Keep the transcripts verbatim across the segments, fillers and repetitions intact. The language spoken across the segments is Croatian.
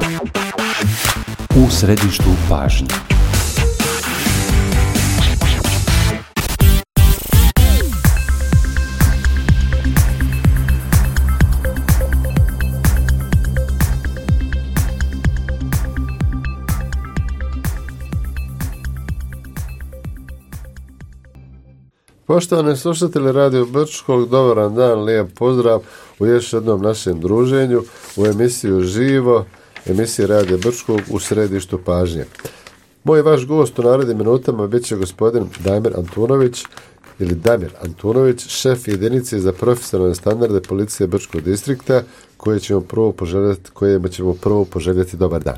U središtu pažnje. Poštovani slušatelji Radio Brčkog, dobar dan, lijep pozdrav u još jednom našem druženju u emisiju Živo, emisiji Radio Brčkog u središtu pažnje. Moj vaš gost u narednim minutama bit će gospodin Damir Antunović ili Damir Antunović, šef jedinice za profesionalne standarde policije Brčkog distrikta, koje ćemo prvo poželjeti, kojima ćemo prvo poželjeti dobar dan.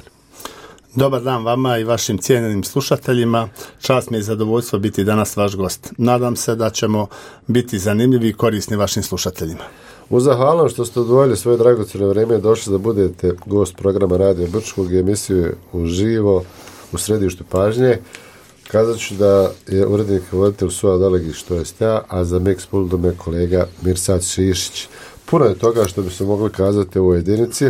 Dobar dan vama i vašim cijenjenim slušateljima. Čast mi je i zadovoljstvo biti danas vaš gost. Nadam se da ćemo biti zanimljivi i korisni vašim slušateljima. U zahvalnom što ste odvojili svoje dragocjeno vrijeme i došli da budete gost programa Radio Brčkog i emisiju Uživo u središtu pažnje. Kazat ću da je urednik i voditelj Suad Alegić, to jest ja, a za Mix Puldom je kolega Mirsad Šišić. Puno je toga što bi se mogli kazati u ovoj jedinici,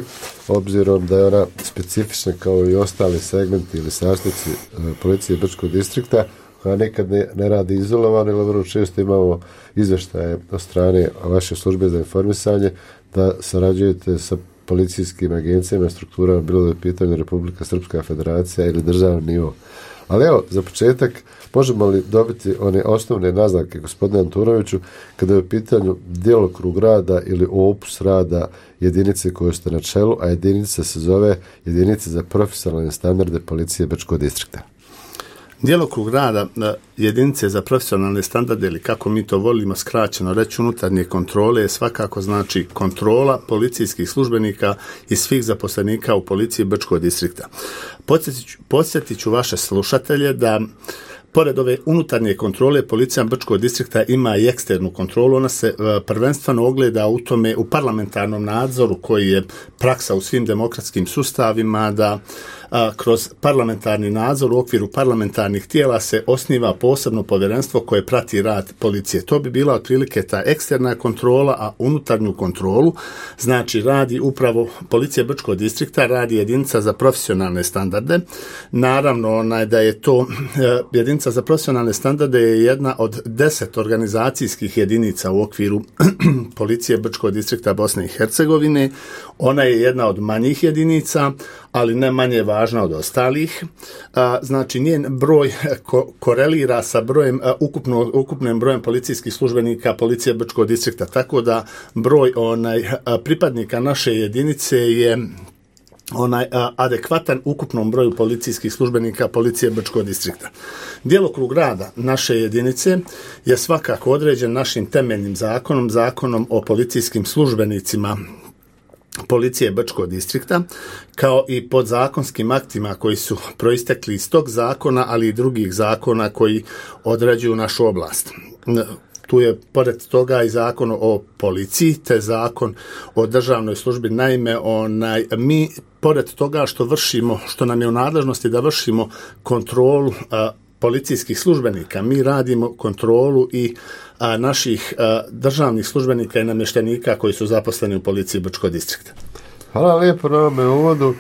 obzirom da je ona specifična kao i ostali segmenti ili sastavci policije Brčkog distrikta, koja nekad ne, ne radi izolovano, ili vrlo često imamo izvještaje od strane vaše službe za informisanje da sarađujete sa policijskim agencijama i strukturama, bilo da je u pitanju Republika Srpska Federacija ili državni nivo. Ali evo, za početak, možemo li dobiti one osnovne naznake, gospodine Antunoviću, kada je u pitanju djelokrug rada ili opus rada jedinice koje ste na čelu, a jedinica se zove Jedinica za profesionalne standarde policije Brčkog distrikta? Djelokrug rada jedinice za profesionalne standarde, ili kako mi to volimo skraćeno reći, unutarnje kontrole, je svakako znači kontrola policijskih službenika i svih zaposlenika u policiji Brčkog distrikta. Podsjetit ću vaše slušatelje da pored ove unutarnje kontrole, policija Brčkog distrikta ima i eksternu kontrolu. Ona se uh, prvenstveno ogleda u tome, u parlamentarnom nadzoru koji je praksa u svim demokratskim sustavima, da a, kroz parlamentarni nadzor u okviru parlamentarnih tijela se osniva posebno povjerenstvo koje prati rad policije. To bi bila otprilike ta eksterna kontrola, a unutarnju kontrolu znači radi upravo policija Brčkog distrikta, radi jedinica za profesionalne standarde. Naravno, onaj da je to e, jedinica za profesionalne standarde je jedna od deset organizacijskih jedinica u okviru policije Brčkog distrikta Bosne i Hercegovine. Ona je jedna od manjih jedinica, ali ne manje važna od ostalih. A, znači, njen broj ko- korelira sa brojem, a, ukupno, ukupnim brojem policijskih službenika policije Brčkog distrikta, tako da broj onaj a, pripadnika naše jedinice je onaj a, adekvatan ukupnom broju policijskih službenika policije Brčkog distrikta. Djelokrug rada naše jedinice je svakako određen našim temeljnim zakonom, zakonom o policijskim službenicima policije Brčkog distrikta, kao i podzakonskim aktima koji su proistekli iz tog zakona, ali i drugih zakona koji određuju našu oblast. Tu je pored toga i zakon o policiji, te zakon o državnoj službi. Naime, onaj, mi pored toga što vršimo, što nam je u nadležnosti da vršimo kontrolu a, policijskih službenika, mi radimo kontrolu i a, naših a, državnih službenika i namještenika koji su zaposleni u policiji Brčkog distrikta. Hvala lijepo na ovome uvodu.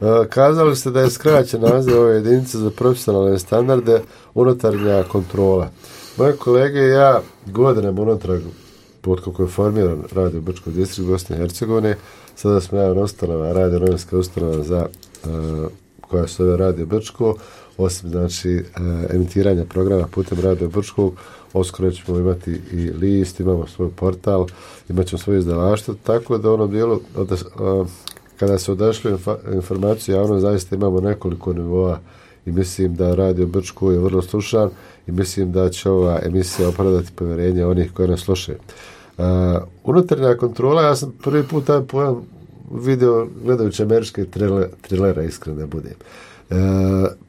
E, kazali ste da je skraćen naziv ove jedinice za profesionalne standarde unutarnja kontrola. Moje kolege i ja godinama unutrag, pod kako je formiran Radio Brčkog distrikta Bosne i Hercegovine, sada smo javna ustanova, radio novinska ustanova za e, koja se zove Radio Brčko, osim znači emitiranja programa putem Radio Brčkog, uskoro ćemo imati i list, imamo svoj portal, imat ćemo svoje izdavaštvo, tako da u onom dijelu od, a, kada se odašli informaciju javno, zaista imamo nekoliko nivoa i mislim da Radio Brčko je vrlo slušan i mislim da će ova emisija opravdati povjerenje onih koji nas slušaju. Uh, unutarnja kontrola, ja sam prvi put taj pojam video gledajući američke thriller, thrillera, iskreno da budem. Uh,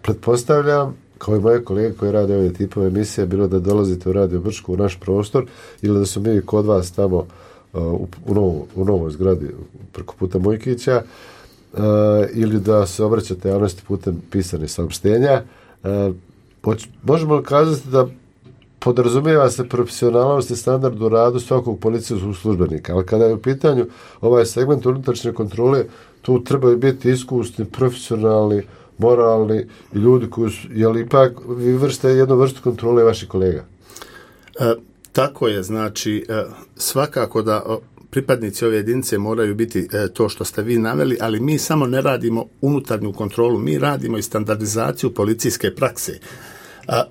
pretpostavljam, kao i moje kolege koji rade ove tipove emisije, bilo da dolazite u Radio Brčko u naš prostor ili da su mi kod vas tamo uh, u, u, novo, u novoj zgradi preko puta Mojkića, uh, ili da se obraćate javnosti putem pisanih saopštenja. Uh, možemo li kazati da podrazumijeva se profesionalnost i standard u radu svakog policijskog službenika, ali kada je u pitanju ovaj segment unutrašnje kontrole, tu trebaju biti iskusni, profesionalni, moralni i ljudi koji su, jel ipak vi vrste jednu vrstu kontrole vaših kolega? E, tako je, znači e, svakako da o, pripadnici ove jedinice moraju biti e, to što ste vi naveli, ali mi samo ne radimo unutarnju kontrolu, mi radimo i standardizaciju policijske prakse. A,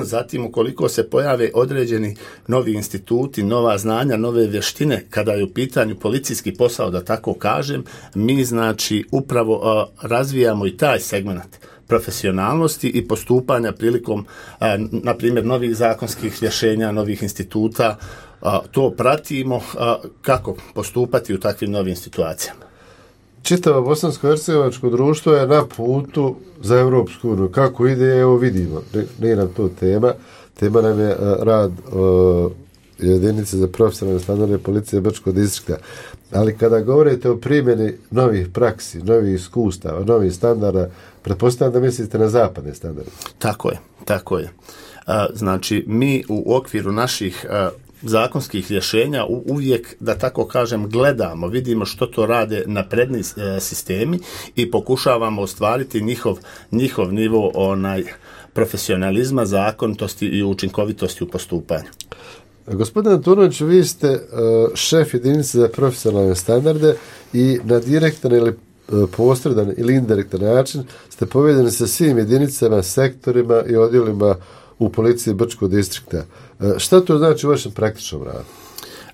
zatim, ukoliko se pojave određeni novi instituti, nova znanja, nove vještine, kada je u pitanju policijski posao, da tako kažem, mi znači upravo a, razvijamo i taj segment profesionalnosti i postupanja prilikom, a, na primjer, novih zakonskih rješenja, novih instituta, a, to pratimo a, kako postupati u takvim novim situacijama. Čitavo bosansko-hercegovačko društvo je na putu za Europsku uniju. Kako ide, evo vidimo. Nije nam to tema. Tema nam je uh, rad uh, jedinice za profesionalne standarde policije Brčkog distrikta. Ali kada govorite o primjeni novih praksi, novih iskustava, novih standarda, pretpostavljam da mislite na zapadne standarde. Tako je, tako je. Uh, znači, mi u okviru naših uh, zakonskih rješenja uvijek, da tako kažem, gledamo, vidimo što to rade napredni e, sistemi i pokušavamo ostvariti njihov, njihov nivo onaj profesionalizma, zakonitosti i učinkovitosti u postupanju. Gospodin Antunović, vi ste uh, šef jedinice za profesionalne standarde i na direktan ili uh, posredan ili indirektan način ste povezani sa svim jedinicama, sektorima i odjelima u policiji Brčkog distrikta. Šta to znači u vašem praktičnom radu?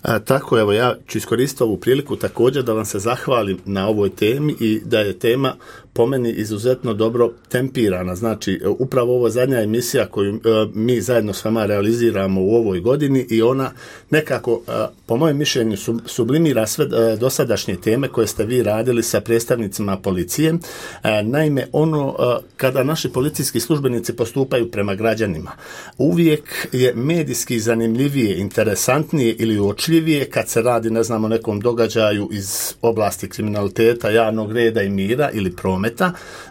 A, tako, evo, ja ću iskoristiti ovu priliku također da vam se zahvalim na ovoj temi i da je tema po meni izuzetno dobro tempirana. Znači, upravo ovo zadnja emisija koju e, mi zajedno s vama realiziramo u ovoj godini i ona nekako, e, po mojem mišljenju, sub, sublimira sve e, dosadašnje teme koje ste vi radili sa predstavnicima policije. E, naime, ono, e, kada naši policijski službenici postupaju prema građanima, uvijek je medijski zanimljivije, interesantnije ili uočljivije kad se radi, ne znam, o nekom događaju iz oblasti kriminaliteta, javnog reda i mira ili prometa,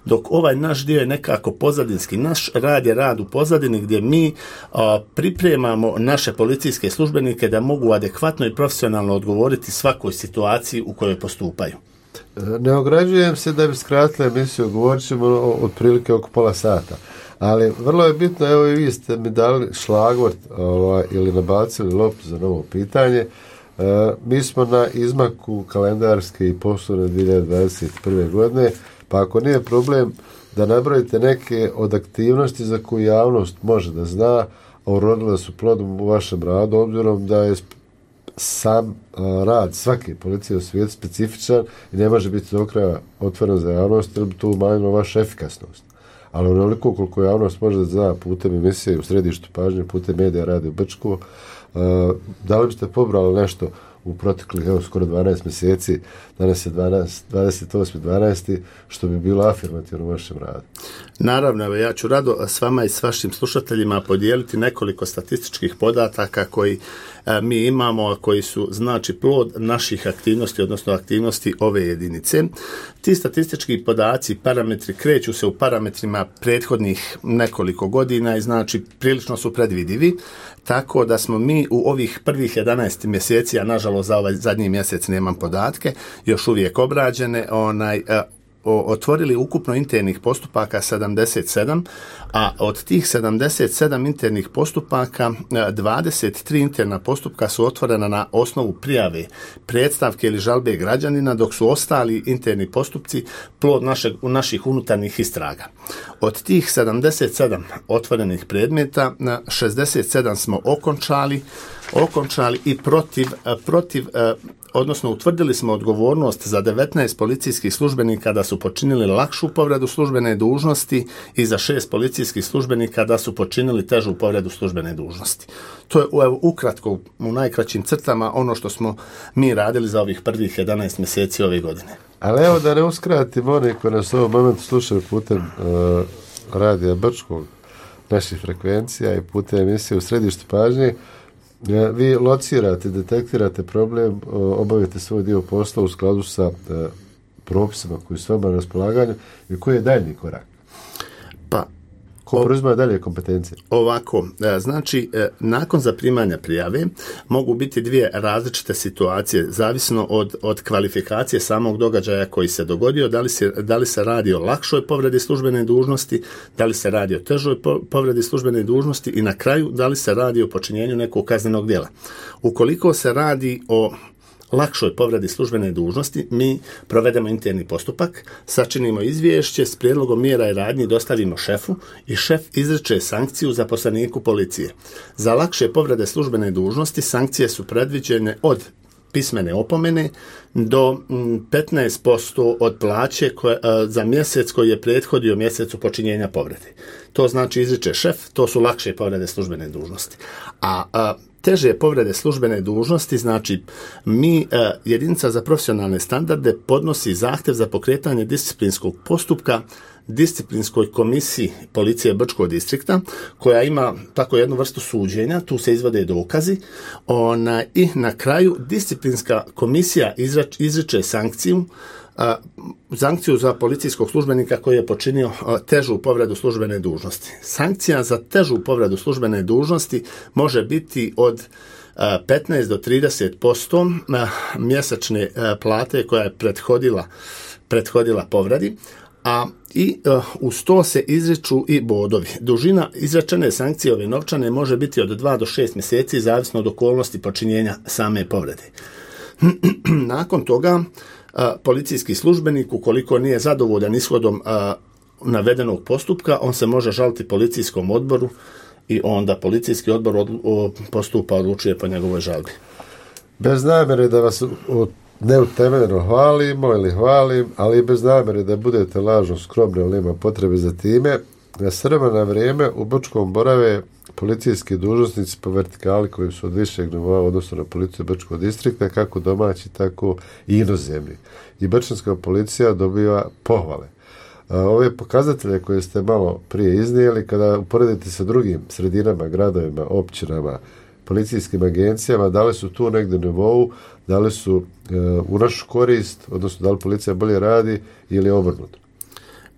dok ovaj naš dio je nekako pozadinski. Naš rad je rad u pozadini gdje mi a, pripremamo naše policijske službenike da mogu adekvatno i profesionalno odgovoriti svakoj situaciji u kojoj postupaju. Ne ograđujem se da bi skratila emisiju, govorit ćemo otprilike oko pola sata. Ali vrlo je bitno, evo i vi ste mi dali šlagvort ovaj, ili nabacili loptu za novo pitanje. E, mi smo na izmaku kalendarske i poslovne dvije hiljade dvadeset prve. godine, pa ako nije problem da nabrojite neke od aktivnosti za koju javnost može da zna, a urodile su plodom u vašem radu, obzirom da je sam a, rad svake policije u svijetu specifičan i ne može biti do kraja otvoren za javnost, jer bi to umanjilo vašu efikasnost. Ali onoliko koliko javnost može da zna putem emisije u središtu pažnje, putem medija radi u Brčku, uh, da li biste pobrali nešto u proteklih, evo, skoro dvanaest mjeseci, danas je dvadeset osmi dvanaesti što bi bilo afirmativno u vašem radu? Naravno, evo, ja ću rado s vama i s vašim slušateljima podijeliti nekoliko statističkih podataka koji e, mi imamo, a koji su, znači, plod naših aktivnosti, odnosno aktivnosti ove jedinice. Ti statistički podaci, parametri, kreću se u parametrima prethodnih nekoliko godina i, znači, prilično su predvidivi, tako da smo mi u ovih prvih jedanaest mjeseci, a nažalost za ovaj zadnji mjesec nemam podatke, još uvijek obrađene, onaj, e, otvorili ukupno internih postupaka sedamdeset sedam, a od tih sedamdeset sedam internih postupaka dvadeset tri interna postupka su otvorena na osnovu prijave, predstavke ili žalbe građanina, dok su ostali interni postupci plod našeg, naših unutarnjih istraga. Od tih sedamdeset sedam otvorenih predmeta, šezdeset sedam smo okončali, okončali i protiv, protiv odnosno utvrdili smo odgovornost za devetnaest policijskih službenika da su počinili lakšu povredu službene dužnosti i za šest policijskih službenika da su počinili težu povredu službene dužnosti. To je evo, ukratko, u najkraćim crtama, ono što smo mi radili za ovih prvih jedanaest mjeseci ove godine. Ali evo da ne uskratim oni koji nas u ovom momentu slušaju putem uh, radija Brčkog, naših frekvencija i putem emisije u središtu pažnje, vi locirate, detektirate problem, obavite svoj dio posla u skladu sa propisima koji su vama na raspolaganju i koji je daljnji korak? Pa, Ko preuzima dalje kompetencije? Ovako, znači, nakon zaprimanja prijave mogu biti dvije različite situacije, zavisno od, od kvalifikacije samog događaja koji se dogodio, da li se, da li se radi o lakšoj povredi službene dužnosti, da li se radi o težoj povredi službene dužnosti i na kraju da li se radi o počinjenju nekog kaznenog djela. Ukoliko se radi o lakšoj povredi službene dužnosti, mi provedemo interni postupak, sačinimo izvješće s prijedlogom mjera i radnji, dostavimo šefu i šef izriče sankciju zaposleniku policije. Za lakše povrede službene dužnosti sankcije su predviđene od pismene opomene do petnaest posto od plaće koje, za mjesec koji je prethodio mjesecu počinjenja povrede. To znači izriče šef, to su lakše povrede službene dužnosti. A, a teže povrede službene dužnosti, znači mi, a, jedinica za profesionalne standarde podnosi zahtjev za pokretanje disciplinskog postupka disciplinskoj komisiji policije Brčkog distrikta, koja ima tako jednu vrstu suđenja, tu se izvode dokazi, ona, i na kraju disciplinska komisija izrač, izriče sankciju, a, sankciju za policijskog službenika koji je počinio a, težu povredu službene dužnosti. Sankcija za težu povredu službene dužnosti može biti od a, petnaest do trideset posto mjesečne a, plate koja je prethodila, prethodila povredi, a i uh, uz to se izriču i bodovi. Dužina izrečene sankcije ove novčane može biti od dva do šest mjeseci, zavisno od okolnosti počinjenja same povrede. Nakon toga, uh, policijski službenik, ukoliko nije zadovoljan ishodom uh, navedenog postupka, on se može žaliti policijskom odboru i onda policijski odbor od, o, postupa, odlučuje po njegovoj žalbi. Bez namjere da vas od neutemeljeno hvalimo ili hvalim, ali i bez namjere da budete lažno skromni, ali ima potrebe za time. Na srba na vrijeme u Brčkom borave policijski dužnosnici po vertikali koji su od višeg nivoa odnosno na policiju Brčkog distrikta, kako domaći, tako i inozemni. I brčanska policija dobiva pohvale. Ove pokazatelje koje ste malo prije iznijeli, kada uporedite sa drugim sredinama, gradovima, općinama, policijskim agencijama, da li su tu negdje na nivou, da li su e, u našu korist, odnosno da li policija bolje radi ili obrnuto?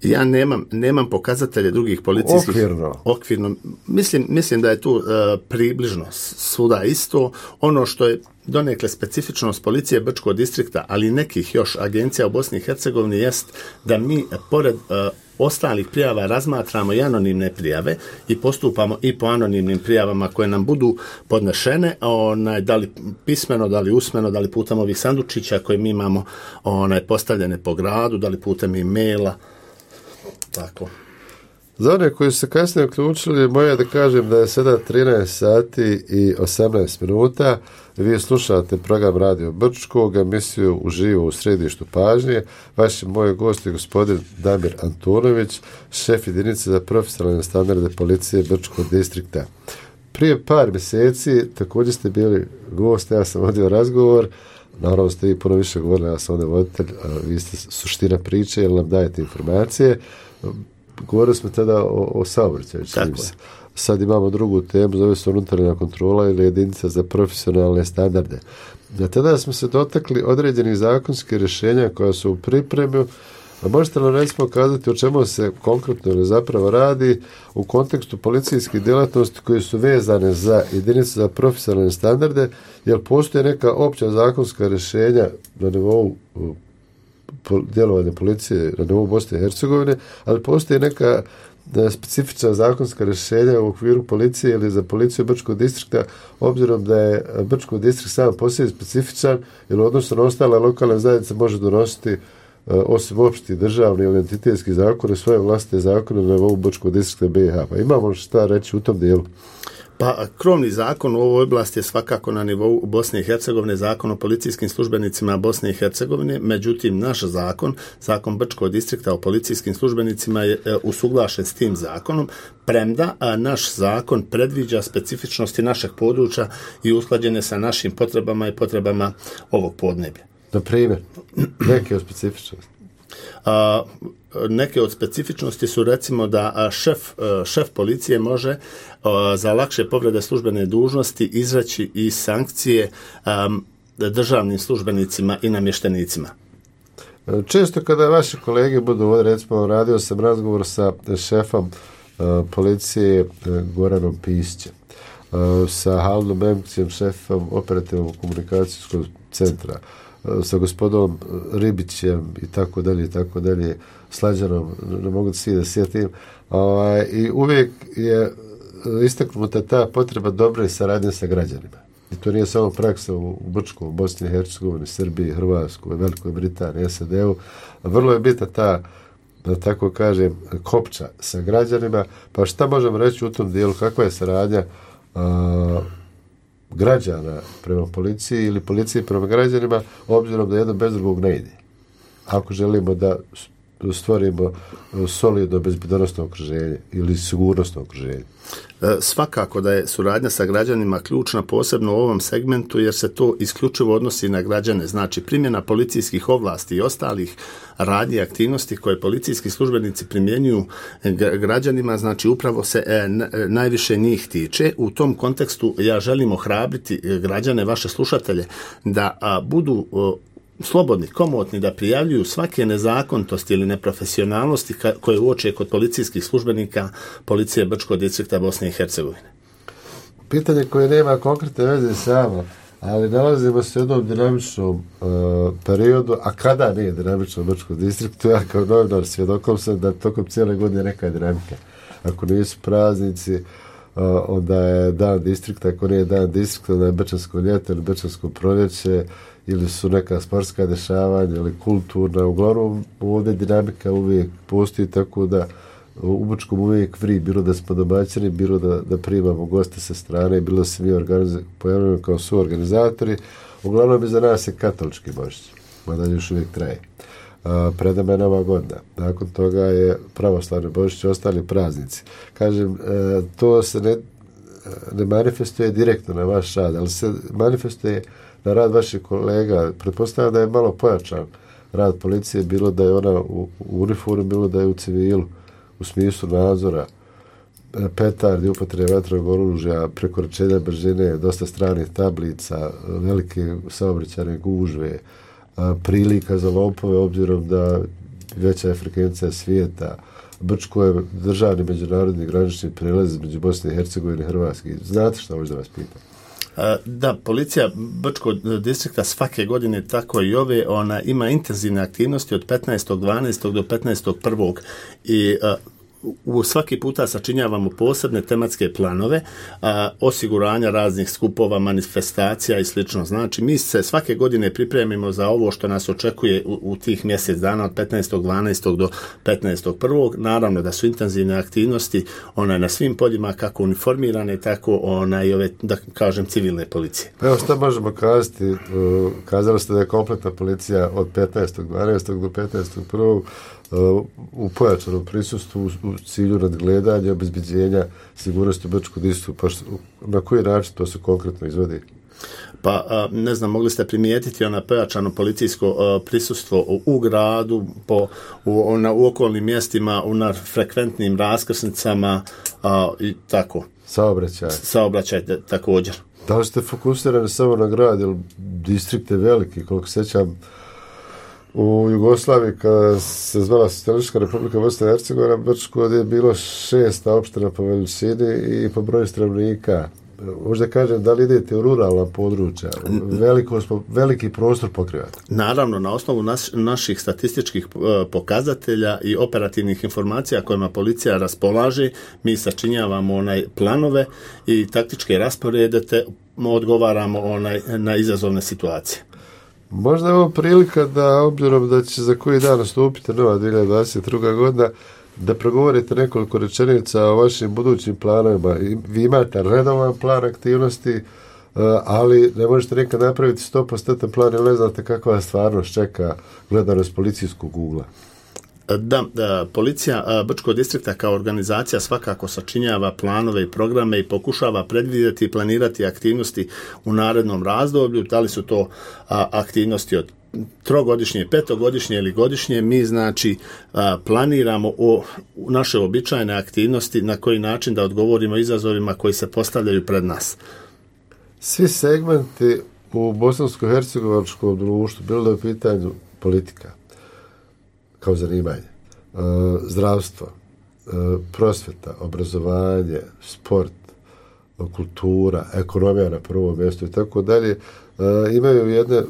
Ja nemam, nemam pokazatelje drugih policijskih... Okvirno. Okvirno. Mislim, mislim da je tu e, približno svuda isto. Ono što je donekle specifičnost policije Brčkog distrikta, ali nekih još agencija u Bosni i Hercegovini, jest da mi pored e, ostalih prijava razmatramo i anonimne prijave i postupamo i po anonimnim prijavama koje nam budu podnešene, onaj, da li pismeno, da li usmeno, da li putem ovih sandučića koje mi imamo onaj, postavljene po gradu, da li putem e-maila, tako. Za one koji su se kasnije uključili, moja da kažem da je sada trinaest sati i osamnaest minuta. Vi slušate program Radio Brčkog, emisiju uživo u središtu pažnje. Vaši moji gosti je gospodin Damir Antunović, šef jedinice za profesionalne standarde policije Brčkog distrikta. Prije par mjeseci također ste bili gost, ja sam vodio razgovor, naravno ste i puno više govorili, ja sam ovdje voditelj, vi ste suština priče jer nam dajete informacije. Govorili smo tada o, o saobraćaju. Sad imamo drugu temu, zove se unutarnja kontrola ili jedinica za profesionalne standarde. A tada smo se dotakli određenih zakonskih rješenja koja su u pripremi. A možete li recimo kazati o čemu se konkretno ili zapravo radi u kontekstu policijskih djelatnosti koje su vezane za jedinice za profesionalne standarde, jer postoje neka opća zakonska rješenja na nivou djelovanja policije na nivou Bosne i Hercegovine, ali postoji neka specifična zakonska rješenja u okviru policije ili za policiju Brčkog distrikta, obzirom da je Brčkog distrikt sam po sebi specifičan, jer odnosno na ostale lokalne zajednice može donositi osim opšti državni ili entitetski zakone, svoje vlastite zakone na nivou Brčkog distrikta B i H. Pa imamo šta reći u tom dijelu? Pa krovni zakon u ovoj oblasti je svakako na nivou Bosne i Hercegovine, zakon o policijskim službenicima Bosne i Hercegovine, međutim naš zakon, zakon Brčkog distrikta o policijskim službenicima je usuglašen s tim zakonom, premda a, naš zakon predviđa specifičnosti našeg područja i usklađene sa našim potrebama i potrebama ovog podneblja. Na primjer, neke od specifičnosti? A, neke od specifičnosti su recimo da šef, šef policije može a, za lakše povrede službene dužnosti izreći i sankcije a, državnim službenicima i namještenicima. Često kada vaši kolege budu ovdje, recimo radio sam razgovor sa šefom policije Goranom Pisćem, sa Halidom Memcijem, šefom operativnog komunikacijskog centra, sa gospodom Ribićem i tako dalje i tako dalje, Slađanom, ne mogu da svi da sjetim, ovaj, i uvijek je istaknuta ta potreba dobre saradnje sa građanima. I to nije samo praksa u Brčkom, u Bosni i Hercegovini, Srbiji, Hrvatskoj, Velikoj Britaniji, S A D-u. Vrlo je bitna ta, da tako kažem, kopča sa građanima. Pa šta možemo reći u tom dijelu, kakva je saradnja a, građana prema policiji ili policije prema građanima, obzirom da jedno bez drugog ne ide. Ako želimo da stvorimo solidno bezbednosno okruženje ili sigurnosno okruženje. Svakako da je suradnja sa građanima ključna, posebno u ovom segmentu, jer se to isključivo odnosi na građane. Znači, primjena policijskih ovlasti i ostalih radnji i aktivnosti koje policijski službenici primjenjuju građanima, znači upravo se e, najviše njih tiče. U tom kontekstu ja želim ohrabriti građane, vaše slušatelje, da a, budu a, slobodni, komotni, da prijavljuju svake nezakonitosti ili neprofesionalnosti koje uoče kod policijskih službenika policije Brčkog distrikta Bosne i Hercegovine. Pitanje koje nema konkretne veze samo, ali nalazimo se u jednom dinamičnom uh, periodu, a kada nije dinamično u Brčkom distriktu, ja kao novinar svjedokom sam da tokom cijele godine neka dinamika. Ako nisu praznici, uh, onda je dan distrikta, ako nije dan distrikta, onda je Brčansko ljeto ili Brčansko proljeće, ili su neka sportska dešavanja ili kulturna. Uglavnom ovdje dinamika uvijek postoji, tako da u Brčkom uvijek vri, bilo da smo domaćini, bilo da, da primamo goste sa strane, bilo da se mi organiz... pojavljamo kao suorganizatori. Uglavnom iza nas je katolički Božić, mada još uvijek traje. A, pred nama je Nova godina. Nakon toga je pravoslavni Božić i ostali praznici. Kažem, e, to se ne, ne manifestuje direktno na vaš rad, ali se manifestuje na rad vaših kolega. Pretpostavljam da je malo pojačan rad policije, bilo da je ona u, u uniformu, bilo da je u civilu, u smislu nadzora, petardi, upotrebe vatrenog oružja, prekoračenja brzine, dosta stranih tablica, velike saobraćajne gužve, prilika za lopove, obzirom da veća je frekvencija svijeta. Brčko je državni međunarodni granični prelaz među Bosne i Hercegovine i Hrvatske. Znate što možda vas pitam? Da, policija Brčkog distrikta svake godine, tako i ove, ona ima intenzivne aktivnosti od petnaestog dvanaestog do petnaestog prvog i a, u svaki puta sačinjavamo posebne tematske planove a, osiguranja raznih skupova, manifestacija i slično. Znači, mi se svake godine pripremimo za ovo što nas očekuje u, u tih mjesec dana od petnaestog dvanaestog do petnaestog prvog. Naravno da su intenzivne aktivnosti ona na svim poljima, kako uniformirane, tako ona i ove, da kažem, civilne policije. Evo što možemo kazati, kazali ste da je kompletna policija od petnaestog dvanaestog do petnaestog prvog u pojačanom prisustvu u cilju nadgledanja, obezbeđenja sigurnosti u Brčkom distriktu. Pa što, na koji način to se konkretno izvodi? Pa, ne znam, mogli ste primijetiti ona pojačano policijsko prisustvo u, u gradu, po, u, na, u okolnim mjestima, u na frekventnim raskrsnicama a, i tako. Saobraćaj. Saobraćaj također. Da li ste fokusirani samo na grad, jer distrikt je veliki, koliko sećam, u Jugoslaviji, kada se zvala Socijalistička Republika Bosne i Hercegovina, Brčko je bilo šesta opština po veličini i po broju stanovnika. Možda kažem, da li idete u ruralna područja? Veliko, veliki prostor pokrivate. Naravno, na osnovu naš, naših statističkih pokazatelja i operativnih informacija kojima policija raspolaže, mi sačinjavamo onaj planove i taktičke rasporede, te odgovaramo onaj na izazovne situacije. Možda je ovo prilika da, obzirom da će za koji dan nastupiti nova dvije hiljade dvadeset druga godina, da progovorite nekoliko rečenica o vašim budućim planovima. Vi imate redovan plan aktivnosti, ali ne možete nekad napraviti sto posto plan, jer ne znate kakva stvarnost čeka gledano s policijskog ugla. Da, da, policija Brčkog distrikta kao organizacija svakako sačinjava planove i programe i pokušava predvidjeti i planirati aktivnosti u narednom razdoblju. Da li su to a, aktivnosti od trogodišnje, petogodišnje ili godišnje, mi znači a, planiramo o, u naše običajne aktivnosti na koji način da odgovorimo izazovima koji se postavljaju pred nas. Svi segmenti u bosansko-hercegovačkom društvu, bilo da je u pitanju politika kao zanimanje, zdravstvo, prosvjeta, obrazovanje, sport, kultura, ekonomija na prvom mjestu i tako dalje, imaju jedne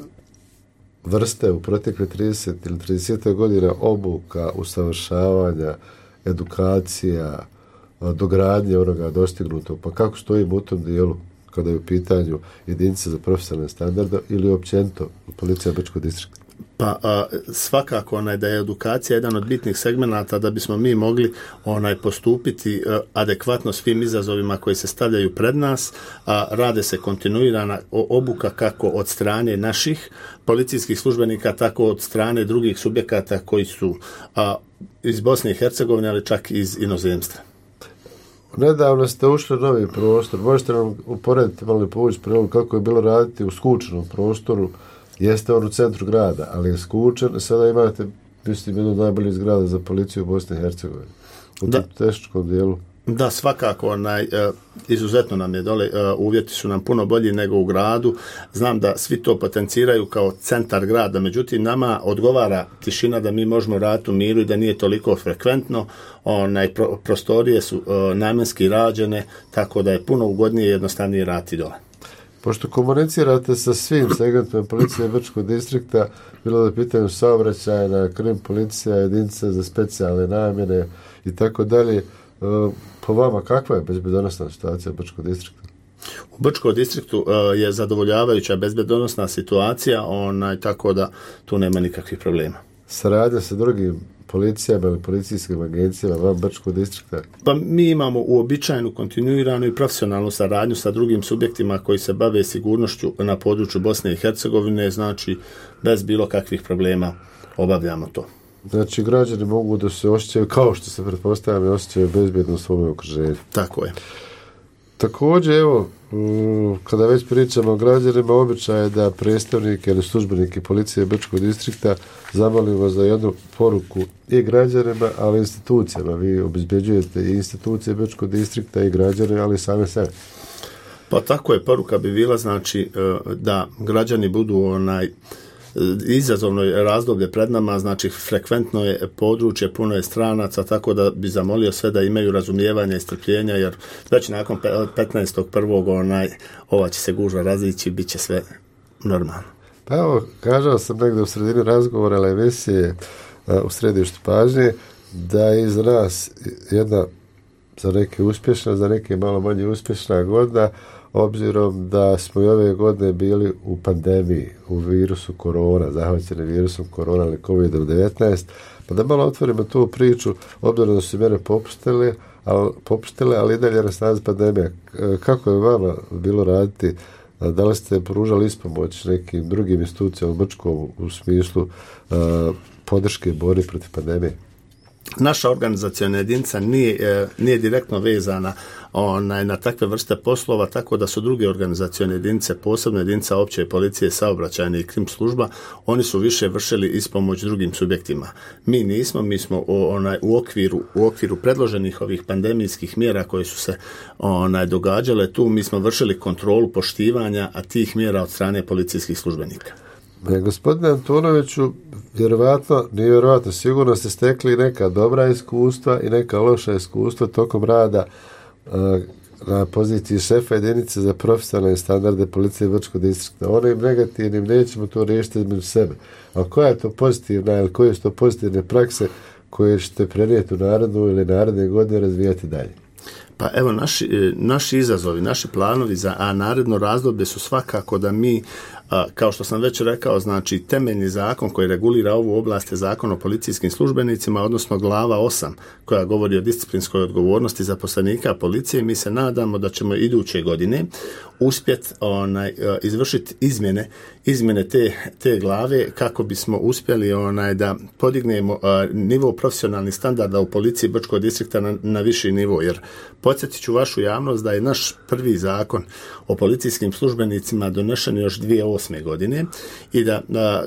vrste u protekle trideset ili trideset godina obuka, usavršavanja, edukacija, dogradnje onoga dostignutog. Pa kako stojimo u tom dijelu kada je u pitanju jedinice za profesionalne standarde ili općenito policija Brčkog distrikta? Pa a, svakako onaj da je edukacija jedan od bitnih segmenata da bismo mi mogli onaj postupiti a, adekvatno svim izazovima koji se stavljaju pred nas, a rade se kontinuirana obuka kako od strane naših policijskih službenika, tako od strane drugih subjekata koji su a, iz Bosne i Hercegovine, ali čak iz inozemstva. Nedavno ste ušli u novi prostor. Možete nam uporediti malo povući priliku kako je bilo raditi u skučenom prostoru. Jeste on u centru grada, ali je skučen. Sada imate, mislim, jednu najbolju zgrada za policiju u Bosni i Hercegovini. U tom teškom dijelu. Da, svakako, onaj, izuzetno nam je dole, uvjeti su nam puno bolji nego u gradu. Znam da svi to potenciraju kao centar grada, međutim nama odgovara tišina da mi možemo raditi u miru i da nije toliko frekventno. Onaj, pro, prostorije su namjenski rađene, tako da je puno ugodnije i jednostavnije raditi dole. Pošto komunicirate sa svim segmentima policije Brčkog distrikta, bilo da pitanju saobraćajna, krim policija, jedinice za specijalne namjene i tako dalje, po vama kakva je bezbednosna situacija u Brčkog distriktu? U Brčkom distriktu uh, je zadovoljavajuća bezbednosna situacija, onaj, tako da tu nema nikakvih problema. Saradnja sa drugim policijama ili policijskim agencijama van Brčkog distrikta? Pa mi imamo uobičajenu, kontinuiranu i profesionalnu saradnju sa drugim subjektima koji se bave sigurnošću na području Bosne i Hercegovine, znači bez bilo kakvih problema obavljamo to. Znači, građani mogu da se osjećaju, kao što se pretpostavljamo, osjećaju bezbjedno u svom okruženju. Tako je. Također, evo, kada već pričamo o građanima, običaj je da predstavnike ili službenike policije Brčkog distrikta zamolimo za jednu poruku i građanima, ali i institucijama. Vi obezbeđujete i institucije Brčkog distrikta i građane, ali i same sebe. Pa tako je, poruka bi bila, znači, da građani budu onaj izazovno razdoblje pred nama, znači frekventno je područje, puno je stranaca, tako da bi zamolio sve da imaju razumijevanja i strpljenja, jer već nakon petnaestog prvog onaj, ova će se gužva razići, bit će sve normalno. Pa evo, kažao sam negdje u sredini razgovora ili emisije u središtu pažnje, da je iz nas jedna za neke uspješna, za neke malo manje uspješna godina, obzirom da smo i ove godine bili u pandemiji, u virusu korona, zahvaćeni virusom korona ili kovid devetnaest, pa da malo otvorimo tu priču, obzirom da su mjere popustile, ali, popustile, ali i dalje na snazi pandemija. Kako je vama bilo raditi? Da li ste pružali ispomoć nekim drugim institucijama u Brčkom u smislu uh, podrške borbe protiv pandemije? Naša organizaciona jedinica nije, nije direktno vezana onaj, na takve vrste poslova, tako da su druge organizacione jedinice, posebno jedinica opće policije, saobraćajne i krim služba, oni su više vršili ispomoć drugim subjektima. Mi nismo, mi smo onaj, u, okviru, u okviru predloženih ovih pandemijskih mjera koje su se onaj, događale tu, mi smo vršili kontrolu poštivanja a tih mjera od strane policijskih službenika. E, gospodine Antunoviću, vjerovatno, nije vjerovatno, sigurno ste stekli neka dobra iskustva i neka loša iskustva tokom rada uh, na poziciji šefa jedinice za profesionalne standarde policije Brčkog distrikta. Onim negativnim nećemo to riješiti između sebe. A koja je to pozitivna ili koje su to pozitivne prakse koje ćete prenijeti u narodnu ili naredne godine razvijati dalje? Pa evo, naši, naši izazovi, naši planovi za a naredno razdoblje su svakako da mi, a, kao što sam već rekao, znači temeljni zakon koji regulira ovu oblast je zakon o policijskim službenicima, odnosno glava osam koja govori o disciplinskoj odgovornosti zaposlenika policije. Mi se nadamo da ćemo iduće godine uspjeti onaj, izvršiti izmjene, izmjene te, te glave kako bismo uspjeli onaj, da podignemo a, nivo profesionalnih standarda u policiji Brčkog distrikta na, na viši nivo, jer podsjetit ću vašu javnost da je naš prvi zakon o policijskim službenicima donešen još dvije tisuće osme godine i da a,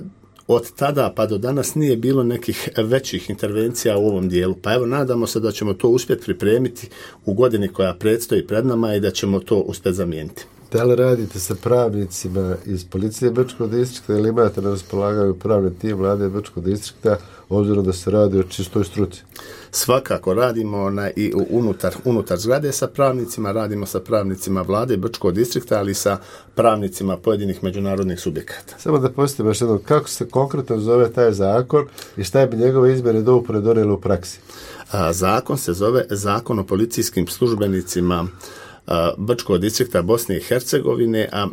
od tada pa do danas nije bilo nekih većih intervencija u ovom dijelu. Pa evo, nadamo se da ćemo to uspjeti pripremiti u godini koja predstoji pred nama i da ćemo to uspjeti zamijeniti. Da li radite sa pravnicima iz policije Brčkog distrikta ili imate na raspolaganju pravni tim vlade Brčkog distrikta, obzirom da se radi o čistoj struci? Svakako radimo na, i unutar, unutar zgrade sa pravnicima, radimo sa pravnicima vlade Brčkog distrikta, ali i sa pravnicima pojedinih međunarodnih subjekata. Samo da postavim još jednom, kako se konkretno zove taj zakon i šta bi njegove izmjene dopune donijeli u praksi? A, zakon se zove Zakon o policijskim službenicima Brčkog distrikta Bosne i Hercegovine, a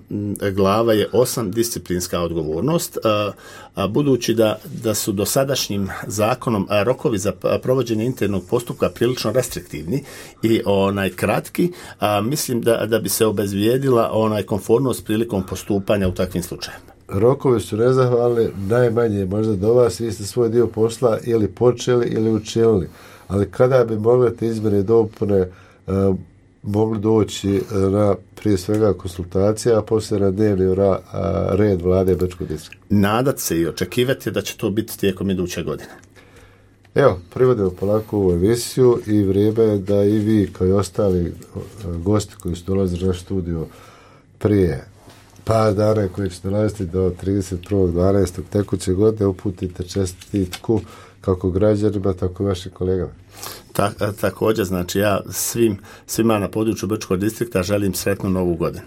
glava je osam disciplinska odgovornost, a, a budući da, da su dosadašnjim zakonom a, rokovi za provođenje internog postupka prilično restriktivni i onaj kratki, a, mislim da, da bi se obezvijedila onaj konformnost prilikom postupanja u takvim slučajevima. Rokovi su nezahvalni, najmanje možda do vas, vi ste svoj dio posla ili počeli ili učinili, ali kada bi mogle te izmjene i dopune a, mogli doći na prije svega konsultacija, a poslije na dnevni ra, a, red vlade Brčkog distrikta? Nadat se i očekivati da će to biti tijekom iduće godine. Evo, privodimo polako ovu emisiju i vrijeme je da i vi kao i ostali gosti koji su dolazili na naš studio prije par dana koji će dolaziti do trideset prvog dvanaestog tekuće godine uputite čestitku kako građanima, tako i vašim kolegama. Ta, također, znači ja svim, svima na području Brčkog distrikta želim sretnu novu godinu.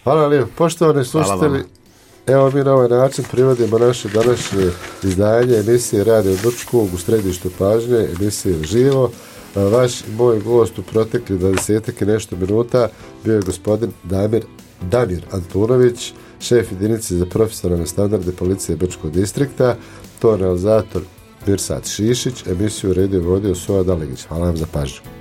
Hvala lijepo. Poštovani slušatelji, evo mi na ovaj način privodimo naše današnje izdanje emisije Radio Brčkog u središtu pažnje, emisije Živo. Vaš i moj gost u protekli dvadesetak i nešto minuta bio je gospodin Damir, Damir Antunović, šef jedinice za profesionalne standarde policije Brčkog distrikta, to realizator Mirsad Šišić, emisiju redio vodio Suad Alegić. Hvala vam za pažnju.